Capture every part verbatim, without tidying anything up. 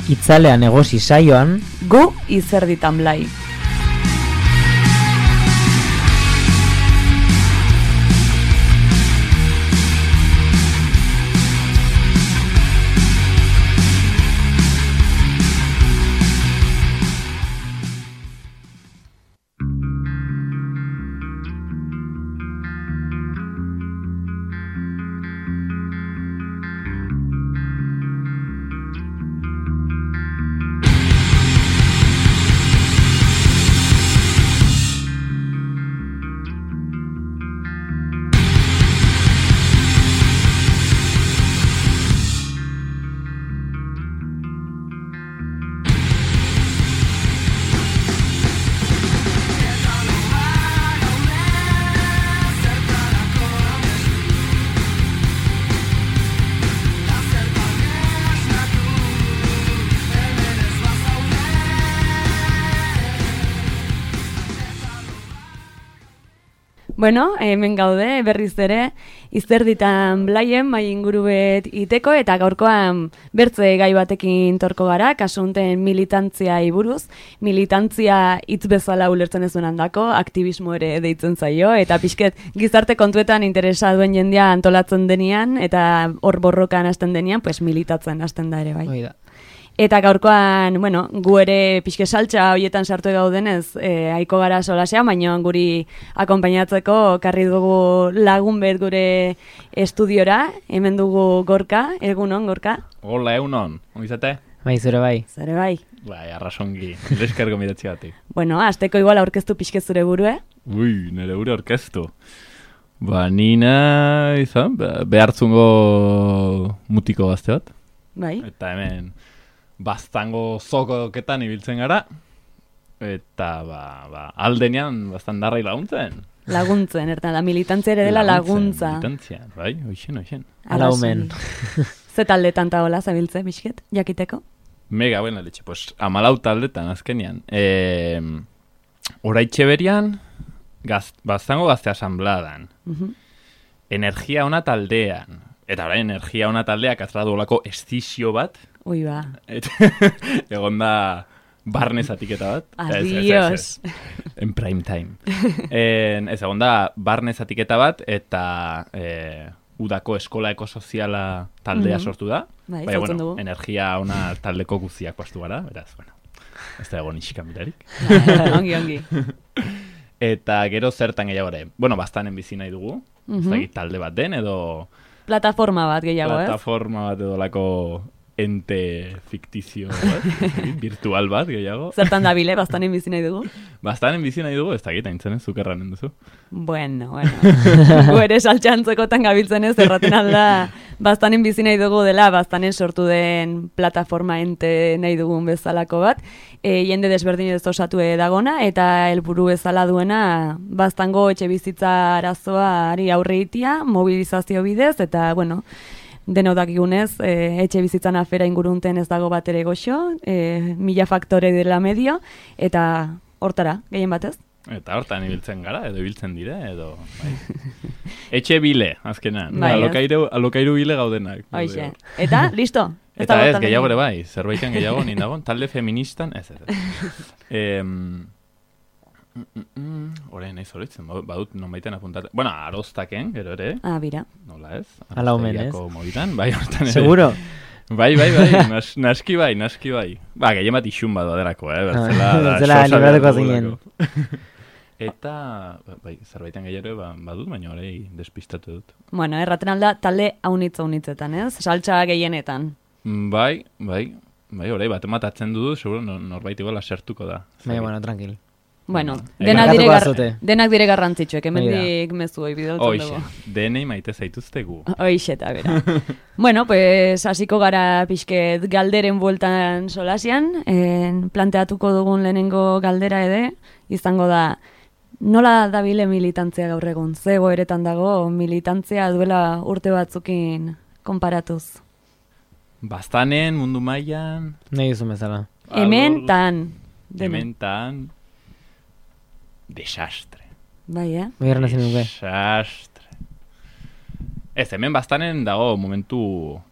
Itzalean egosi saioan, gu izerditan blai. Bueno, hemen gaude, berriz ere, izerditan blaien, mai ingurubet iteko, eta gaurkoan bertze gai batekin torko gara, kasunten militantzia iburuz, militantzia hitz bezala ulertzen ez duen handako, aktivismo ere deitzen zaio, eta pixket gizarte kontuetan interesa duen jendea antolatzen denean, eta hor borrokan hasten denean, pues militatzen hasten da ere bai. Oida. Eta gaurkoan, bueno, gu ere pixke saltza horietan sartu gaudenez, e, aiko gara solasea, baina guri akonpainatzeko karri dugu lagun bet gure estudiora, hemen dugu Gorka, egunon, Gorka? Hola, egunon, ongizate? Bai, zure bai. Zure bai. Bai, arrasongi, eskergo miratzi batik. Bueno, azteko igual aurkeztu pixke zure burue. Ui, nire gure aurkeztu. Ba, nina, izan, behartzungo mutiko gazte bat. Bai. Eta hemen, baztango zokoketan ibiltzen gara, eta ba, ba, aldenean bastan darrai laguntzen. Laguntzen, ertan, la militantzia ere dela laguntza. Militantzia, bai, oixen, oixen. Ala omen. Ze taldetan taola zabiltze, bisket, jakiteko? Mega, buena letxe, pues, amalau taldetan azkenian. E, Oraitxe berian, gaz, baztango gazte asambladan. Uh-huh. Energia ona taldean. Eta orain, energia ona taldeak atra duolako estizio bat. Ui ba. Egon da barne zatiketa bat. Adios. En prime time. En, ez, egon da barne zatiketa bat, eta e, udako eskola ekosoziala taldea mm-hmm. sortu da. Bai, Baina, bueno, dugu. Energia ona taldeko guziak pastu gara, beraz, bueno, ez da egon isika mirarik. Ongi, ongi. Eta gero zertan gehiago ere. Bueno, bastanen bizi nahi dugu. Mm-hmm. Ez da talde bat den, edo... Plataforma bat gehiago, ez? Plataforma bat edo lako ente fiktizio bat, virtual bat gehiago. Zertan da bile, bastanen bizi nahi dugu? Bastanen bizi nahi dugu, ez da gita intzen ez, zukerranen duzu. Bueno, bueno. Gu ere saltxantzekotan gabiltzen ez, erraten alda, bastanen bizi nahi dugu dela, bastanen sortu den plataforma ente nahi dugun bezalako bat, e, jende desberdin ez osatu dagona, eta helburu bezala duena, bastango etxe bizitza arazoari aurre itia, mobilizazio bidez, eta, bueno, deno dakigunez, e, etxe bizitzan afera ingurunten ez dago bat ere goxo, e, mila faktore dela medio, eta hortara, gehien batez. Eta hortan ibiltzen gara, edo ibiltzen dire, edo... Bai. Etxe bile, azkenan. Bai, alokairu, alokairu bile gaudenak. Hoxe. Eta, listo? Ez Eta ez, gehiago ere bai, zerbaitan gehiago nindagon, talde feministan, ez, ez, ez. Eh, Mm, mm, mm. Horein nahi zoritzen, badut nonbaiten apuntate. Bueno, aroztaken, gero ere. Ah, bira. Nola ez? Ala omen, ez? Mobitan, bai, hortan ere. Seguro? Bai, bai, bai, nas, naski bai, naski bai. Ba, gehien bat isun bat baderako, eh? Bertzela, Bertzela libratuko zinen. Eta, bai, zerbaitan gehiago ba, badut, baina horrei despistatu dut. Bueno, erraten alda, talde haunitza haunitzetan, ez? Saltza gehienetan. Bai, bai, bai, horrei, bat ematatzen dudu, seguro norbait igual asertuko da. Bai, bueno, tranquil. Bueno, Ega. denak dire, Barkatuko gar, bazute. denak dire garrantzitsuek, hemendik mezu hoi bidaltzen dugu. Oixe, denei maite zaituztegu. Oixe, eta bera. Bueno, pues hasiko gara pixket galderen bueltan solasian, en, planteatuko dugun lehenengo galdera ede, izango da, nola dabile militantzia gaur egun? Ze egoeretan dago militantzia duela urte batzukin konparatuz? Bastanen, mundu mailan... Nahi duzu bezala. Hemen tan. Hemen tan... Desastre. Bai, eh? Bigarren hazin duke. Desastre. Ez, hemen bastanen dago momentu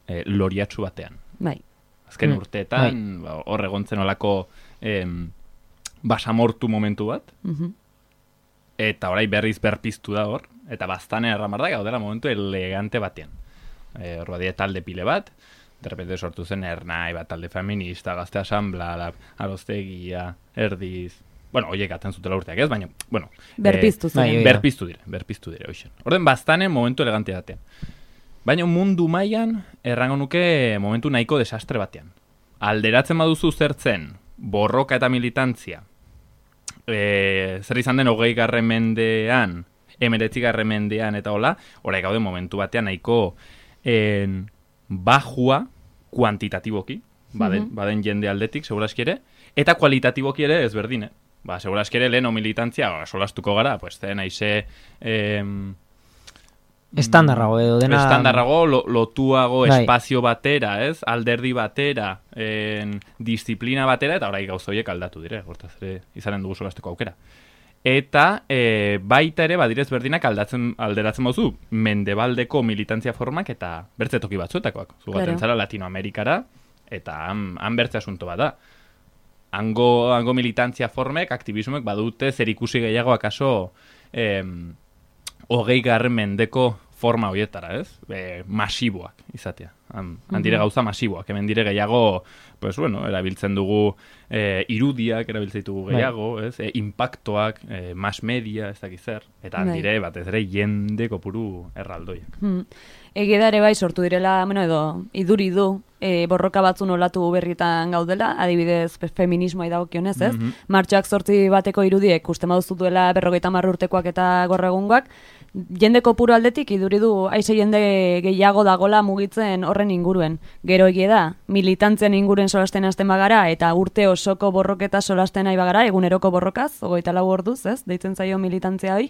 eh, loriatsu batean. Bai. Azken Mm, urteetan, ba, hor egontzen olako em, basamortu momentu bat, Mhm. eta orai berriz berpiztu da hor, eta baztane erramar da, gaudela momentu elegante batean. E, hor badia talde pile bat, derrepente sortu zen ernai bat, talde feminista, gazte asamblea, aroztegia, erdiz, bueno, oiek aten zutela urteak ez, baina, bueno, Berpiztu eh, ziren. bai, bai. berpiztu dire, berpiztu dire, hoxen. Orden baztane momentu elegante batean. Baina mundu mailan errango nuke momentu nahiko desastre batean. Alderatzen baduzu zertzen, borroka eta militantzia, e, zer izan den hogei garren mendean, emeretzi garren mendean eta hola, orai gaude momentu batean nahiko en, bajua kuantitatiboki, baden, Mhm. baden jende aldetik, seguraski ere, eta kualitatiboki ere ezberdine. Ba, seguraski ere lehen militantzia, ba, solastuko gara, pues, zen aize... Em, Estandarrago edo dena... Estandarrago, lo, lotuago Bai. espazio batera, ez? Alderdi batera, en, disiplina batera, eta orai gauzoiek aldatu dire, hortaz ere izanen dugu solasteko aukera. Eta e, baita ere, badirez berdinak aldatzen, alderatzen bauzu, mendebaldeko militantzia formak eta bertze toki batzuetakoak. Zugaten Claro. zara Latinoamerikara, eta han, han bertze asunto bat da. Hango, hango militantzia formek, aktivismoek badute zer ikusi gehiago akaso em, hogei garren mendeko forma horietara, ez? E, masiboak izatea. Han, han dire gauza masiboak. Hemen dire gehiago, pues bueno, erabiltzen dugu e, irudiak, erabiltzen ditugu gehiago, ez? E, impactoak, e, mass media, ez dakiz zer. Eta han Bai. dire, batez ere, jende kopuru erraldoiak. Hmm. Egia da ere bai sortu direla, bueno, edo iduri du, e, borroka batzun olatu berritan gaudela, adibidez fe- feminismoa dagokionez, ez? Mhm. Martxoak zortzi bateko irudiek uste maduzu duela berrogeita hamar urtekoak eta gorregungoak, jende kopuru aldetik iduri du aize jende gehiago dagola mugitzen horren inguruen. Gero egia da, militantzian inguruen solasten hasten bagara, eta urte osoko borroketa solasten nahi bagara, eguneroko borrokaz, ogoita lau orduz, ez? Deitzen zaio militantzia hoi,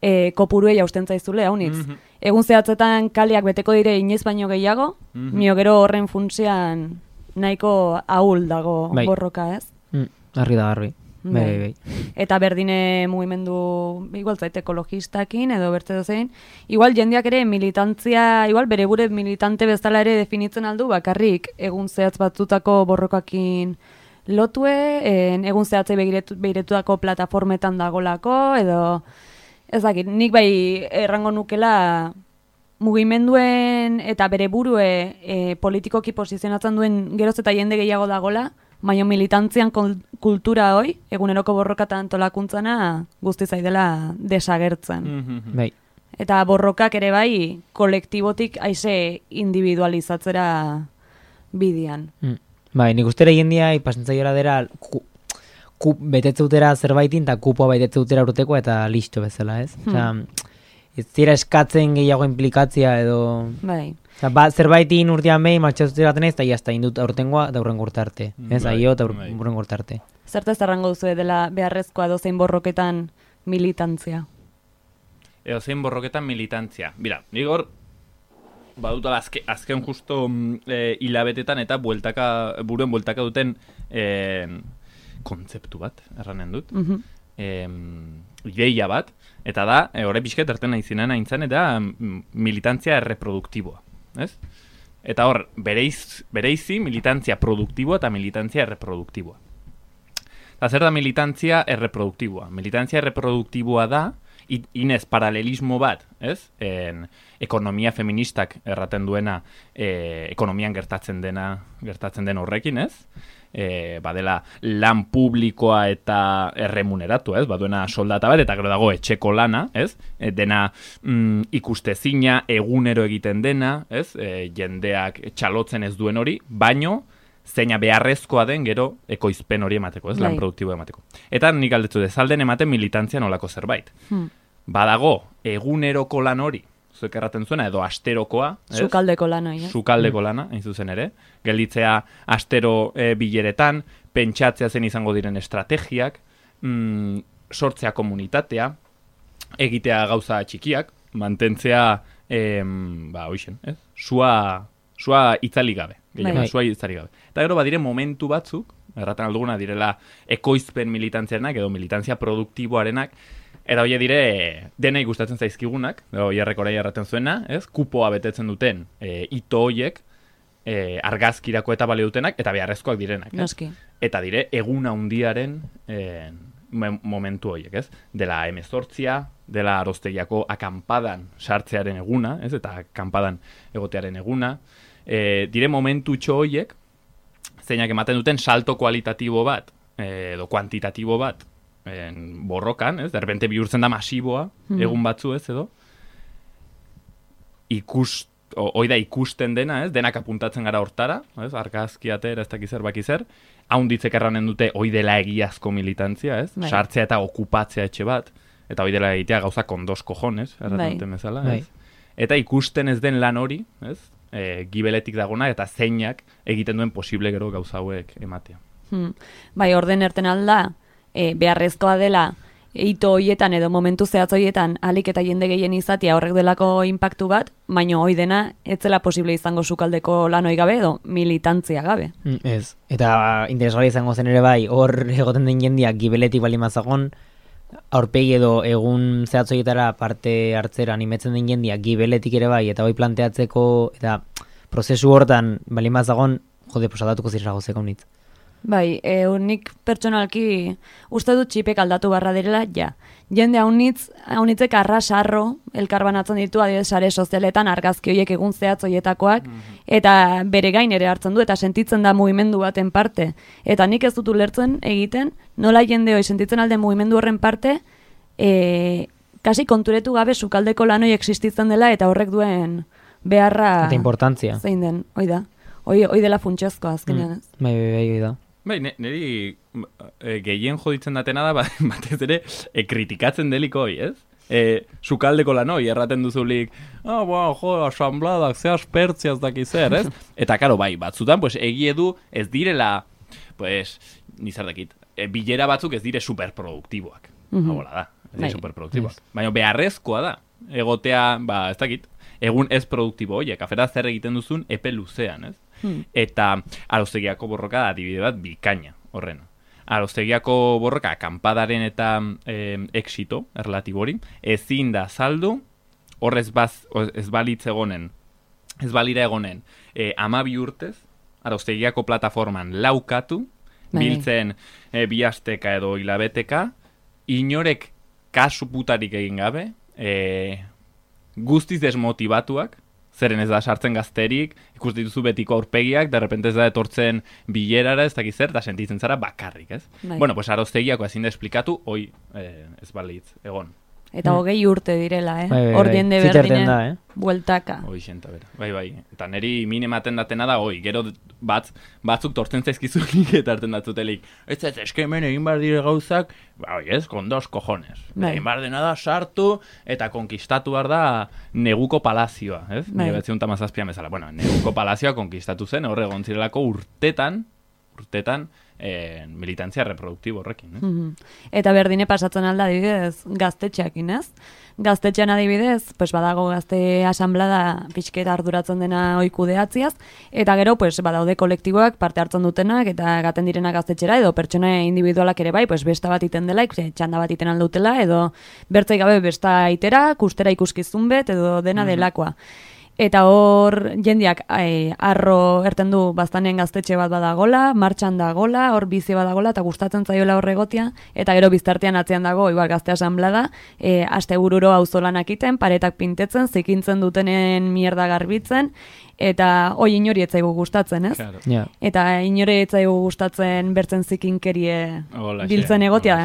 e, kopuruei hausten zaizule, haunitz. Mhm. Egun zehatzetan kaleak beteko dire inoiz baino gehiago, Mhm. mio gero horren funtsean nahiko ahul dago Bai. borroka, ez? Mm, garri da, garbi. Bai, Bai. bai, bai. Eta berdine mugimendu, igual zait ekologistakin edo bertze dozein, igual jendeak ere militantzia, igual bere gure militante bezala ere definitzen aldu, bakarrik egun zehatz batzutako borrokakin lotue, en, egun zehatzei begiretu, begiretutako plataformetan dagolako, edo ez dakit, nik bai errango nukela mugimenduen eta bere burue e, politikoki posizionatzen duen geroz eta jende gehiago dagola, baina militantzian kol- kultura hoi, eguneroko borroka eta antolakuntzana guzti zaidela desagertzen. Mhm. Bai. Eta borrokak ere bai kolektibotik aize individualizatzera bidian. Mm. Bai, nik ustera jendia ipasentzaiora dera ku, ku, betetze utera zerbaitin eta kupoa betetze utera urteko eta listo bezala, ez? Osea, ez dira eskatzen gehiago implikatzia edo... Bai. Osea, ba, zerbaitin urtean behin martxatzera baten ez, eta jazta indut aurtengoa da urrengo urtarte. Ez, Bai, aio eta bai. urrengo urtarte. Zertaz errango duzu dela beharrezkoa dozein borroketan militantzia? Eo zein borroketan militantzia. Bira, nik hor, badutala azke, azken justo mm, e, hilabetetan eta bueltaka, buruen bueltaka duten e, kontzeptu bat, erranen dut. Mhm. E, ideia bat, eta da, e, horre pixket erten nahi zinen aintzan, eta mm, militantzia erreproduktiboa, ez? Eta hor, bereiz, bereizi militantzia produktiboa eta militantzia erreproduktiboa. Eta zer da militantzia erreproduktiboa? Militantzia erreproduktiboa da, i- inez paralelismo bat, ez? En, ekonomia feministak erraten duena, e, ekonomian gertatzen dena, gertatzen den horrekin, ez? E, badela lan publikoa eta erremuneratu, ez? Baduena soldata bat, eta gero dago etxeko lana, ez? E, dena mm, ikustezina, egunero egiten dena, ez? E, jendeak txalotzen ez duen hori, baino zeina beharrezkoa den gero ekoizpen hori emateko, ez? Lan Bai. produktibo emateko. Eta nik aldetzu dezalden ematen militantzia nolako zerbait. Hmm. Badago, eguneroko lan hori, zuek erraten zuena, edo asterokoa, ez? Sukaldeko lan hori, eh? Sukaldeko lana, hain zuzen ere. Gelditzea astero e, bileretan, pentsatzea zen izango diren estrategiak, mm, sortzea komunitatea, egitea gauza txikiak, mantentzea, em, ba, hoixen, ez? Sua, sua itzali gabe. Gehiago, Bai. sua itzali gabe. Eta gero badire momentu batzuk, erraten alduguna direla ekoizpen militantziarenak edo militantzia produktiboarenak, eta hori dire denei gustatzen zaizkigunak, hori errekorai erraten zuena, ez? Kupoa betetzen duten e, ito hoiek, e, argazkirako eta balio dutenak, eta beharrezkoak direnak. Ez? Noski. Eta dire, egun handiaren e, momentu horiek, ez? Dela emezortzia, dela Arostegiako akampadan sartzearen eguna, ez? Eta akampadan egotearen eguna. E, dire momentu txo horiek, zeinak ematen duten salto kualitatibo bat, e, edo kuantitatibo bat, en, borrokan, ez? Derbente bihurtzen da masiboa, mm. egun batzu ez, edo? Ikust, hoi da ikusten dena, ez? Denak apuntatzen gara hortara, ez? Argazki atera, ez dakizer, bakizer. Haunditzek erranen dute, hoi dela egiazko militantzia, ez? Bai. Sartzea eta okupatzea etxe bat, eta hoi dela egitea gauza kondos kojones, erraten duten bezala, ez? Bai. Eta ikusten ez den lan hori, ez? E, gibeletik dagona, eta zeinak egiten duen posible gero gauza hauek ematea. Hmm. Bai, orden erten alda, e, beharrezkoa dela, ito hoietan edo momentu zehatz hoietan alik eta jende gehien izatea horrek delako inpaktu bat, baino hoi dena ez zela posible izango sukaldeko lan hoi gabe edo militantzia gabe. Mm, ez, eta interesgarri izango zen ere bai, hor egoten den jendiak gibeletik bali mazagon, aurpegi edo egun zehatz hoietara parte hartzera animetzen den jendiak gibeletik ere bai, eta hoi planteatzeko, eta prozesu hortan bali mazagon, jode, posadatuko zirra gozeko nitz. Bai, e, unik pertsonalki uste dut txipek aldatu barra direla, ja. Jende haunitz, haunitzek arrasarro elkarbanatzen ditu adibidez sare sozialetan argazki horiek egun zehatz hoietakoak, mm-hmm. eta bere gain ere hartzen du, eta sentitzen da mugimendu baten parte. Eta nik ez dut ulertzen egiten, nola jende hoi sentitzen alden mugimendu horren parte, e, kasi konturetu gabe sukaldeko lan hoi existitzen dela, eta horrek duen beharra... Eta importantzia. Zein den, hoi da. Hoi, hoi dela funtsezkoa azkenean. Mm. Bai, bai, bai, da. Bai, niri e, gehien joditzen datena da, batez ere, e, kritikatzen deliko hoi, ez? E, sukaldeko lan hoi, erraten duzulik, ah, oh, jo, asambladak, ze aspertziaz daki zer, ez? Eta, karo, bai, batzutan, pues, egie du ez direla, pues, nizar dakit, e, bilera batzuk ez dire superproduktiboak. Mm-hmm. Hau da, ez dire superproduktiboak. Yes. Baina beharrezkoa da, egotea, ba, ez dakit, egun ez produktibo horiek, afera zer egiten duzun epe luzean, ez? Hmm. Eta Arostegiako borroka da adibide bat bikaina horrena. Arostegiako borroka akampadaren eta eh, exito erlatibori ezin da saldu horrez baz, ez balitz egonen ez balira egonen eh, amabi urtez Arostegiako plataforman laukatu Bye. Biltzen eh, bi asteka edo hilabeteka inorek kasu putarik egin gabe eh, guztiz desmotibatuak zeren ez da sartzen gazterik, ikusten dituzu betiko aurpegiak, de repente ez da etortzen bilerara, ez dakiz zer, da sentitzen zara bakarrik, ez? Bai. Bueno, pues Arostegiako ezin da esplikatu, hoi eh, ez balitz, egon. Eta hmm. hogei urte direla, eh? Bai, bai, Hor bai. jende berdinen eh? bueltaka. Hoi xenta bera, bai, bai. Eta neri min ematen datena da, hoi, gero batz, batzuk tortzen zaizkizulik eta hartzen datzutelik. Ez ez, eske hemen egin bar dire gauzak, ba, oi ez, kondos cojones. Bai. Egin bar dena da sartu eta konkistatu bar da neguko palazioa, ez? Bai. Nire betzion tamazazpian bezala. Bueno, neguko palazioa konkistatu zen, horre egon zirelako urtetan, urtetan, Eh, militantzia reproduktibo horrekin. Eh? Mm-hmm. Eta berdine pasatzen alda adibidez gaztetxeakin, ez? Gaztetxean adibidez, pues badago gazte asanblada pixketa arduratzen dena oikudeatziaz, eta gero pues badaude kolektiboak parte hartzen dutenak eta gaten direnak gaztetxera edo pertsona individualak ere bai, pues besta bat iten dela, txanda bat iten aldutela edo bertzai gabe besta itera, kustera ikuskizun bet edo dena mm-hmm. delakoa. Eta hor jendiak e, arro erten du baztanen gaztetxe bat badagola, martxan dagola, hor bizi badagola eta gustatzen zaiola hor egotia, eta gero biztartean atzean dago, igual gazte asanblada, e, aste bururo auzolanak iten, paretak pintetzen, zikintzen dutenen mierda garbitzen, eta hoi inori etzaigu gustatzen, ez? Claro. Yeah. Eta inori etzaigu gustatzen bertzen zikinkerie Ola, biltzen xe, egotia,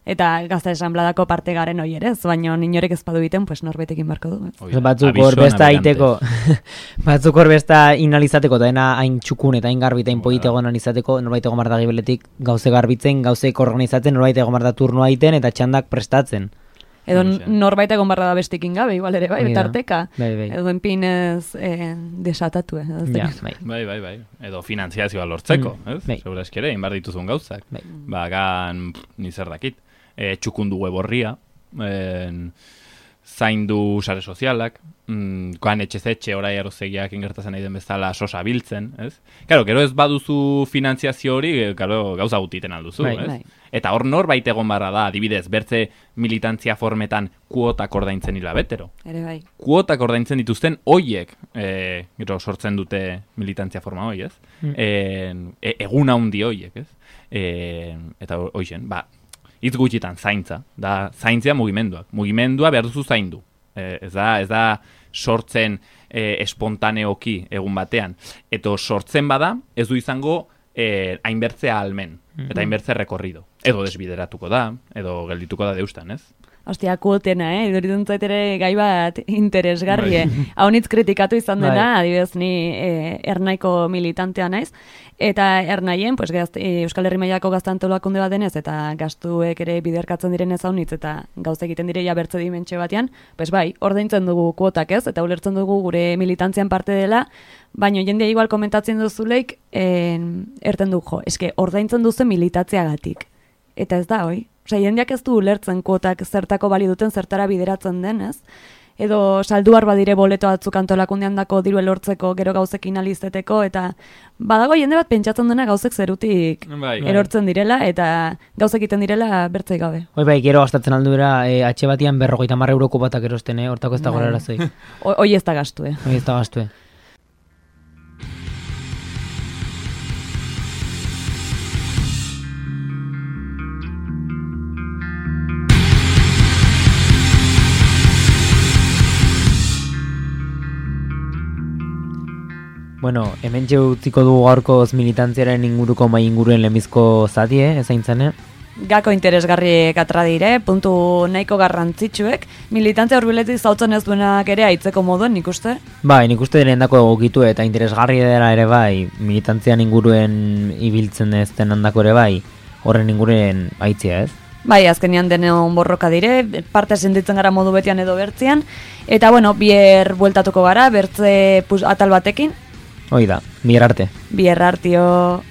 eta gazte asanbladako parte garen hoi ere, ez? Baina inorek ez badu egiten, pues norbetekin barko du. Ez? Batzuk hor besta aiteko, batzuk hor besta inalizateko, eta dena hain txukun eta hain garbi eta hain polite egon analizateko, norbait egon marda gibeletik gauze garbitzen, gauzek organizatzen, norbait egon marda turnoa aiten eta txandak prestatzen. Edo norbait egon barra da bestikin gabe, igual ere, bai, tarteka. Bai, bai. Edo enpinez eh, desatatu, eh? Ja, bai. bai, bai, bai. Edo finanziazioa lortzeko, mm. ez? Bai. Segura eskere, inbar dituzun gauzak. Bai. Ba, gan, nizer dakit. E, txukundu web horria. E, zaindu sare sozialak, mm, koan etxezetxe orai arozegiak ingertazen nahi den bezala sosa biltzen, ez? Claro, gero ez baduzu finantziazio hori, claro, gauza gutiten alduzu, Bai, ez? bai. Eta hor norbait egon barra da, adibidez, bertze militantzia formetan kuotak ordaintzen hilabetero. Ere bai. Kuotak ordaintzen dituzten hoiek e, gero sortzen dute militantzia forma hoi, ez? Mm. E, egun handi hoiek, ez? E, eta hoixen, ba, hitz gutxitan zaintza, da zaintzea mugimenduak. Mugimendua behar duzu zaindu. E, ez da, ez da sortzen e, espontaneoki egun batean. Eta sortzen bada, ez du izango e, hainbertzea almen, eta hainbertze rekorrido. Edo desbideratuko da, edo geldituko da deustan, ez? Ostia, kuotena, eh? Iduritzen zait ere gai bat interesgarri, eh? Haunitz kritikatu izan dena, Bai. adibidez ni eh, ernaiko militantea naiz, eta ernaien, pues, gazt, eh, Euskal Herri mailako gaztantolakunde bat denez, eta gastuek ere biderkatzen direnez haunitz, eta gauza egiten direia bertze dimentxe batean, pues bai, ordaintzen dugu kuotak ez, eta ulertzen dugu gure militantzian parte dela, baina jendea igual komentatzen duzuleik, eh, erten du, jo, eske ordaintzen duzu militatzeagatik. Eta ez da, hoi? Osea, jendeak ez du ulertzen kuotak zertako bali duten, zertara bideratzen denez. Edo salduar badire boleto batzuk antolakundean dako diru elortzeko, gero gauzekin alizeteko, eta badago jende bat pentsatzen dena gauzek zerutik Bai. erortzen direla, eta gauzek egiten direla bertzei gabe. Hoi bai, gero gastatzen aldura, e, atxe batian berrogeita marra euroko batak erosten, eh? Hortako ez da Bai. gora arazoi. O- Hoi ez da gastu, eh? Hoi ez da gastue. Bueno, hemen utziko dugu gaurkoz militantziaren inguruko mai inguruen lemizko zatie, ezaintzen, eh? Gako interesgarriek atra dire, puntu nahiko garrantzitsuek, militantzia hurbiletik zautzen ez duenak ere aitzeko moduen, nik uste? Bai, nik uste diren dako egokitu eta interesgarri dela ere bai, militantzian inguruen ibiltzen ez den handako ere bai, horren inguruen aitzia ez? Bai, azkenean deneon borroka dire, parte sentitzen gara modu betian edo bertzian, eta bueno, bier bueltatuko gara, bertze pus, atal batekin, Hoi da, mier arte. bier artio...